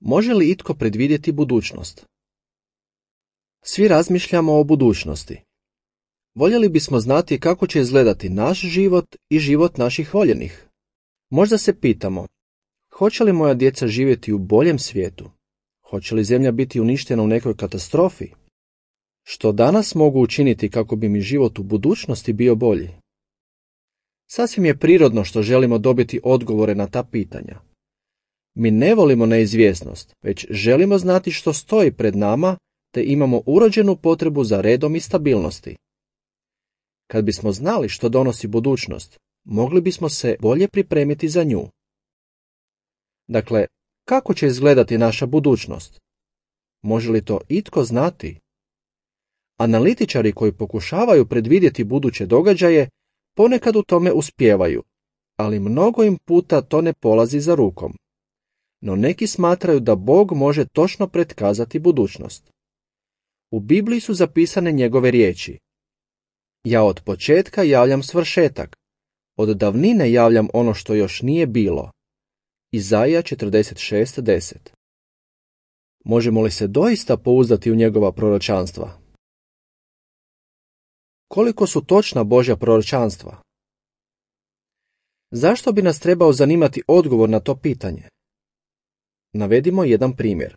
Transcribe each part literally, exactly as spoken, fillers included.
Može li itko predvidjeti budućnost? Svi razmišljamo o budućnosti. Voljeli bismo znati kako će izgledati naš život i život naših voljenih. Možda se pitamo, hoće li moja djeca živjeti u boljem svijetu? Hoće li zemlja biti uništena u nekoj katastrofi? Što danas mogu učiniti kako bi mi život u budućnosti bio bolji? Sasvim je prirodno što želimo dobiti odgovore na ta pitanja. Mi ne volimo neizvjesnost, već želimo znati što stoji pred nama, te imamo urođenu potrebu za redom i stabilnosti. Kad bismo znali što donosi budućnost, mogli bismo se bolje pripremiti za nju. Dakle, kako će izgledati naša budućnost? Može li to itko znati? Analitičari koji pokušavaju predvidjeti buduće događaje ponekad u tome uspijevaju, ali mnogo im puta to ne polazi za rukom. No neki smatraju da Bog može točno pretkazati budućnost. U Bibliji su zapisane njegove riječi. Ja od početka javljam svršetak, od davnine javljam ono što još nije bilo. Izaija četrdeset šest deset. Možemo li se doista pouzdati u njegova proročanstva? Koliko su točna Božja proročanstva? Zašto bi nas trebao zanimati odgovor na to pitanje? Navedimo jedan primjer.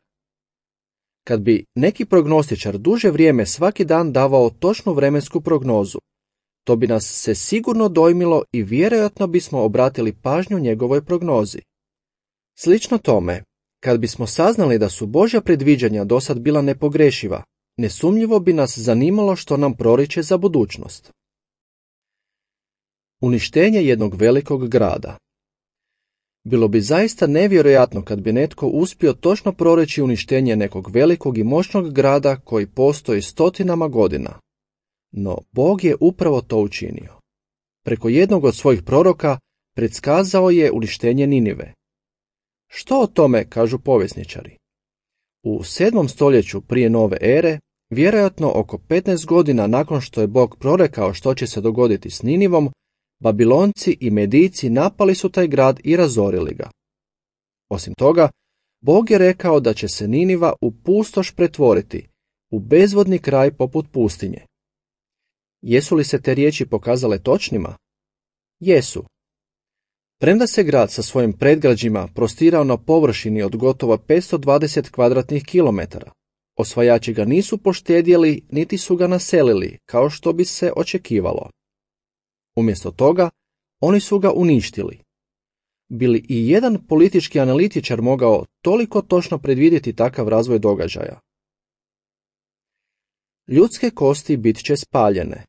Kad bi neki prognostičar duže vrijeme svaki dan davao točnu vremensku prognozu, to bi nas se sigurno dojmilo i vjerojatno bismo obratili pažnju njegovoj prognozi. Slično tome, kad bismo saznali da su Božja predviđanja dosad bila nepogrešiva, nesumnjivo bi nas zanimalo što nam proriče za budućnost. Uništenje jednog velikog grada. Bilo bi zaista nevjerojatno kad bi netko uspio točno proreći uništenje nekog velikog i moćnog grada koji postoji stotinama godina. No Bog je upravo to učinio. Preko jednog od svojih proroka predskazao je uništenje Ninive. Što o tome kažu povjesničari? U sedmom stoljeću prije nove ere, vjerojatno oko petnaest godina nakon što je Bog prorekao što će se dogoditi s Ninivom, Babilonci i Medijci napali su taj grad i razorili ga. Osim toga, Bog je rekao da će se Niniva u pustoš pretvoriti, u bezvodni kraj poput pustinje. Jesu li se te riječi pokazale točnima? Jesu. Premda se grad sa svojim predgrađima prostirao na površini od gotovo petsto dvadeset kvadratnih kilometara, osvajači ga nisu poštedjeli niti su ga naselili, kao što bi se očekivalo. Umjesto toga, oni su ga uništili. Bi li i jedan politički analitičar mogao toliko točno predvidjeti takav razvoj događaja? Ljudske kosti bit će spaljene.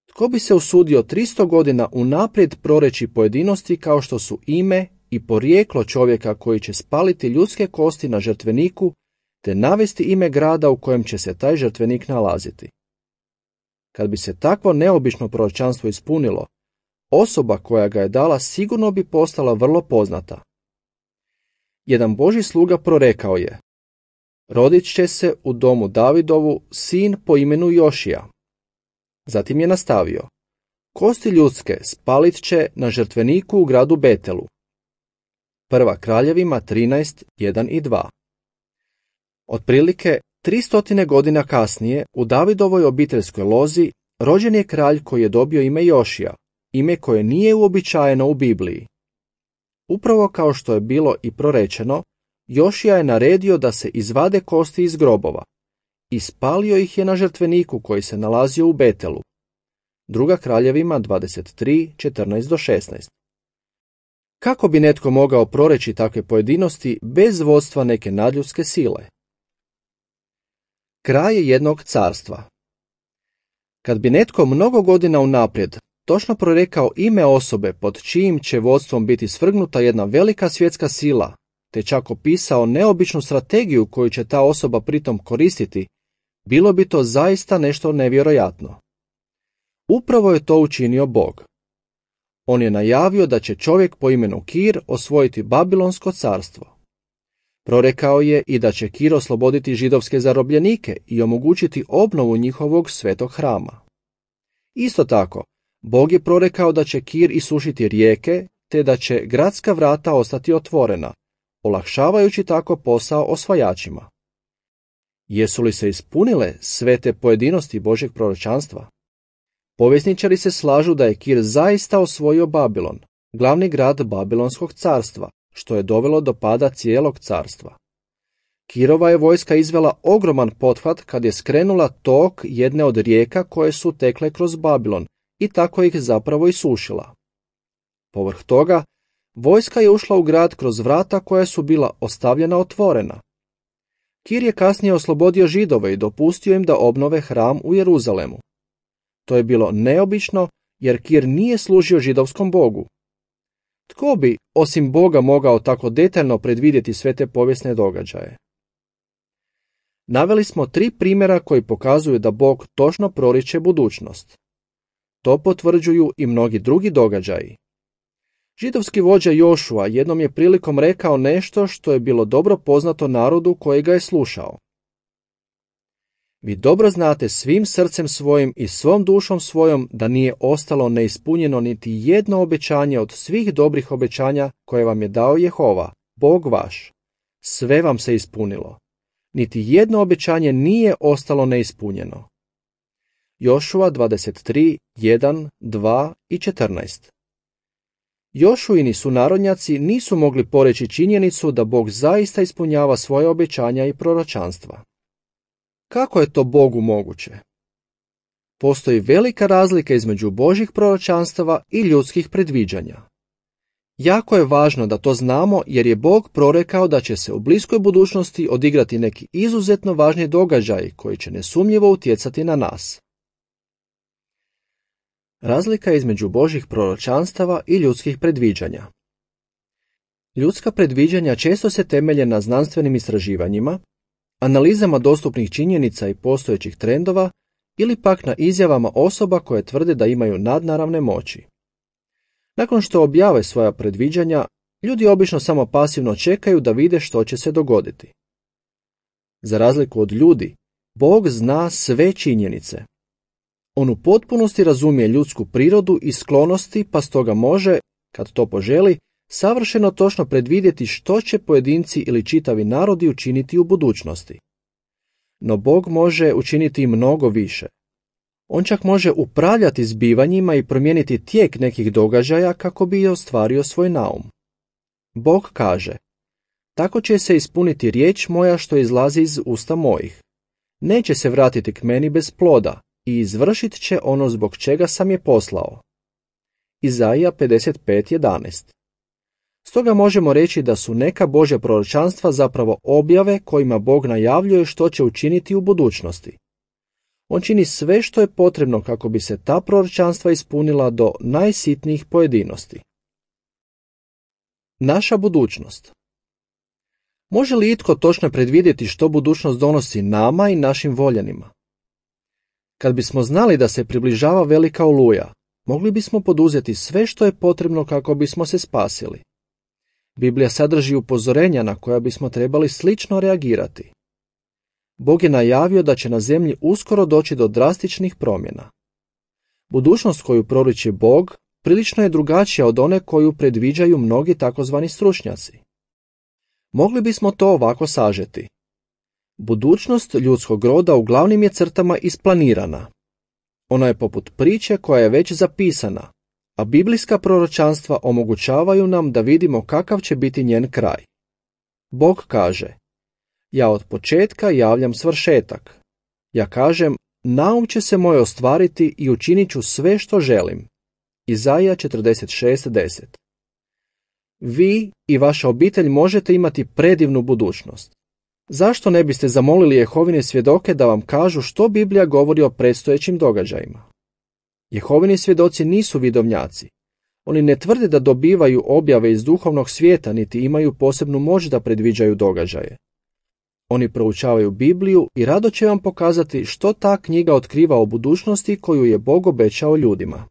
Tko bi se usudio tristo godina unaprijed proreći pojedinosti kao što su ime i porijeklo čovjeka koji će spaliti ljudske kosti na žrtveniku te navesti ime grada u kojem će se taj žrtvenik nalaziti? Kad bi se takvo neobično proročanstvo ispunilo, osoba koja ga je dala sigurno bi postala vrlo poznata. Jedan Božji sluga prorekao je: rodit će se u domu Davidovu sin po imenu Jošija. Zatim je nastavio: kosti ljudske spalit će na žrtveniku u gradu Betelu. Prva Kraljevima trinaest, jedan i dva. Otprilike tristotine godina kasnije u Davidovoj obiteljskoj lozi rođen je kralj koji je dobio ime Jošija, ime koje nije uobičajeno u Bibliji. Upravo kao što je bilo i prorečeno, Jošija je naredio da se izvade kosti iz grobova i spalio ih je na žrtveniku koji se nalazio u Betelu. Druga Kraljevima dvadeset tri, četrnaest do šesnaest. Kako bi netko mogao proreći takve pojedinosti bez vodstva neke nadljudske sile? Kraj jednog carstva. Kad bi netko mnogo godina unaprijed točno prorekao ime osobe pod čijim će vodstvom biti svrgnuta jedna velika svjetska sila, te čak opisao neobičnu strategiju koju će ta osoba pritom koristiti, bilo bi to zaista nešto nevjerojatno. Upravo je to učinio Bog. On je najavio da će čovjek po imenu Kir osvojiti Babilonsko carstvo. Prorekao je i da će Kir osloboditi židovske zarobljenike i omogućiti obnovu njihovog svetog hrama. Isto tako, Bog je prorekao da će Kir isušiti rijeke, te da će gradska vrata ostati otvorena, olakšavajući tako posao osvajačima. Jesu li se ispunile sve te pojedinosti Božjeg proročanstva? Povjesničari se slažu da je Kir zaista osvojio Babilon, glavni grad Babilonskog carstva, što je dovelo do pada cijelog carstva. Kirova je vojska izvela ogroman pothvat kad je skrenula tok jedne od rijeka koje su tekle kroz Babilon i tako ih zapravo isušila. Povrh toga, vojska je ušla u grad kroz vrata koja su bila ostavljena otvorena. Kir je kasnije oslobodio Židove i dopustio im da obnove hram u Jeruzalemu. To je bilo neobično jer Kir nije služio židovskom bogu. Tko bi, osim Boga, mogao tako detaljno predvidjeti sve te povijesne događaje? Naveli smo tri primjera koji pokazuju da Bog točno proriče budućnost. To potvrđuju i mnogi drugi događaji. Židovski vođa Jošua jednom je prilikom rekao nešto što je bilo dobro poznato narodu koji ga je slušao. Vi dobro znate svim srcem svojim i svom dušom svojom da nije ostalo neispunjeno niti jedno obećanje od svih dobrih obećanja koje vam je dao Jehova, Bog vaš. Sve vam se ispunilo. Niti jedno obećanje nije ostalo neispunjeno. Jošua dvadeset tri, jedan, dva i četrnaest. Jošuini sunarodnjaci nisu mogli poreći činjenicu da Bog zaista ispunjava svoje obećanja i proročanstva. Kako je to Bogu moguće? Postoji velika razlika između Božjih proročanstava i ljudskih predviđanja. Jako je važno da to znamo jer je Bog prorekao da će se u bliskoj budućnosti odigrati neki izuzetno važni događaj koji će nesumnjivo utjecati na nas. Razlika između Božjih proročanstava i ljudskih predviđanja. Ljudska predviđanja često se temelje na znanstvenim istraživanjima, analizama dostupnih činjenica i postojećih trendova ili pak na izjavama osoba koje tvrde da imaju nadnaravne moći. Nakon što objave svoja predviđanja, ljudi obično samo pasivno čekaju da vide što će se dogoditi. Za razliku od ljudi, Bog zna sve činjenice. On u potpunosti razumije ljudsku prirodu i sklonosti, pa stoga može, kad to poželi, savršeno točno predvidjeti što će pojedinci ili čitavi narodi učiniti u budućnosti. No Bog može učiniti i mnogo više. On čak može upravljati zbivanjima i promijeniti tijek nekih događaja kako bi ostvario svoj naum. Bog kaže: tako će se ispuniti riječ moja što izlazi iz usta mojih. Neće se vratiti k meni bez ploda i izvršit će ono zbog čega sam je poslao. Izaija pedeset pet jedanaest. Stoga možemo reći da su neka Božja proročanstva zapravo objave kojima Bog najavljuje što će učiniti u budućnosti. On čini sve što je potrebno kako bi se ta proročanstva ispunila do najsitnijih pojedinosti. Naša budućnost. Može li itko točno predvidjeti što budućnost donosi nama i našim voljenima? Kad bismo znali da se približava velika oluja, mogli bismo poduzeti sve što je potrebno kako bismo se spasili. Biblija sadrži upozorenja na koja bismo trebali slično reagirati. Bog je najavio da će na zemlji uskoro doći do drastičnih promjena. Budućnost koju proriči Bog prilično je drugačija od one koju predviđaju mnogi takozvani stručnjaci. Mogli bismo to ovako sažeti. Budućnost ljudskog roda u glavnim je crtama isplanirana. Ona je poput priče koja je već zapisana, a biblijska proročanstva omogućavaju nam da vidimo kakav će biti njen kraj. Bog kaže: ja od početka javljam svršetak. Ja kažem, naum će se moj ostvariti i učinit ću sve što želim. Izaija četrdeset šest deset. Vi i vaša obitelj možete imati predivnu budućnost. Zašto ne biste zamolili Jehovine svjedoke da vam kažu što Biblija govori o predstojećim događajima? Jehovini svjedoci nisu vidovnjaci. Oni ne tvrde da dobivaju objave iz duhovnog svijeta, niti imaju posebnu moć da predviđaju događaje. Oni proučavaju Bibliju i rado će vam pokazati što ta knjiga otkriva o budućnosti koju je Bog obećao ljudima.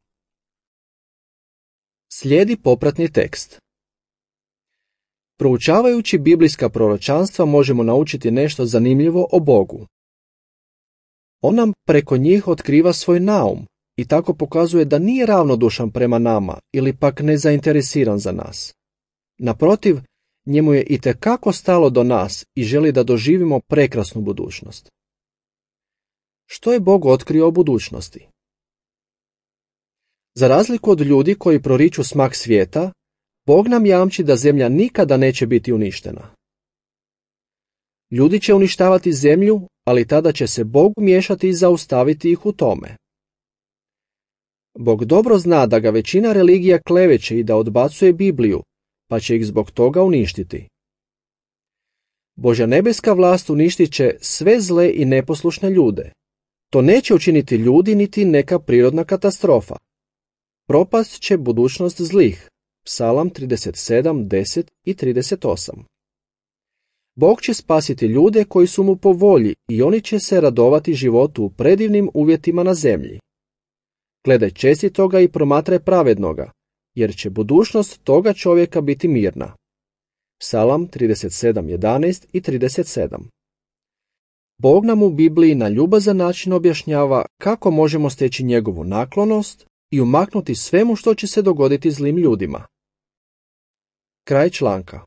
Slijedi popratni tekst. Proučavajući biblijska proročanstva možemo naučiti nešto zanimljivo o Bogu. On nam preko njih otkriva svoj naum i tako pokazuje da nije ravnodušan prema nama ili pak nezainteresiran za nas. Naprotiv, Njemu je itekako stalo do nas i želi da doživimo prekrasnu budućnost. Što je Bog otkrio o budućnosti? Za razliku od ljudi koji proriču smak svijeta, Bog nam jamči da zemlja nikada neće biti uništena. Ljudi će uništavati zemlju, ali tada će se Bog miješati i zaustaviti ih u tome. Bog dobro zna da ga većina religija kleveće i da odbacuje Bibliju, pa će ih zbog toga uništiti. Božja nebeska vlast uništit će sve zle i neposlušne ljude. To neće učiniti ljudi niti neka prirodna katastrofa. Propast će budućnost zlih. Psalam trideset sedam, deset i trideset osam. Bog će spasiti ljude koji su mu po volji i oni će se radovati životu u predivnim uvjetima na zemlji. Gledaj čestitoga i promatraj pravednoga, jer će budućnost toga čovjeka biti mirna. Psalam trideset sedam, jedanaest i trideset sedam. Bog nam u Bibliji na ljubazan način objašnjava kako možemo steći njegovu naklonost i umaknuti svemu što će se dogoditi zlim ljudima. Kraj članka.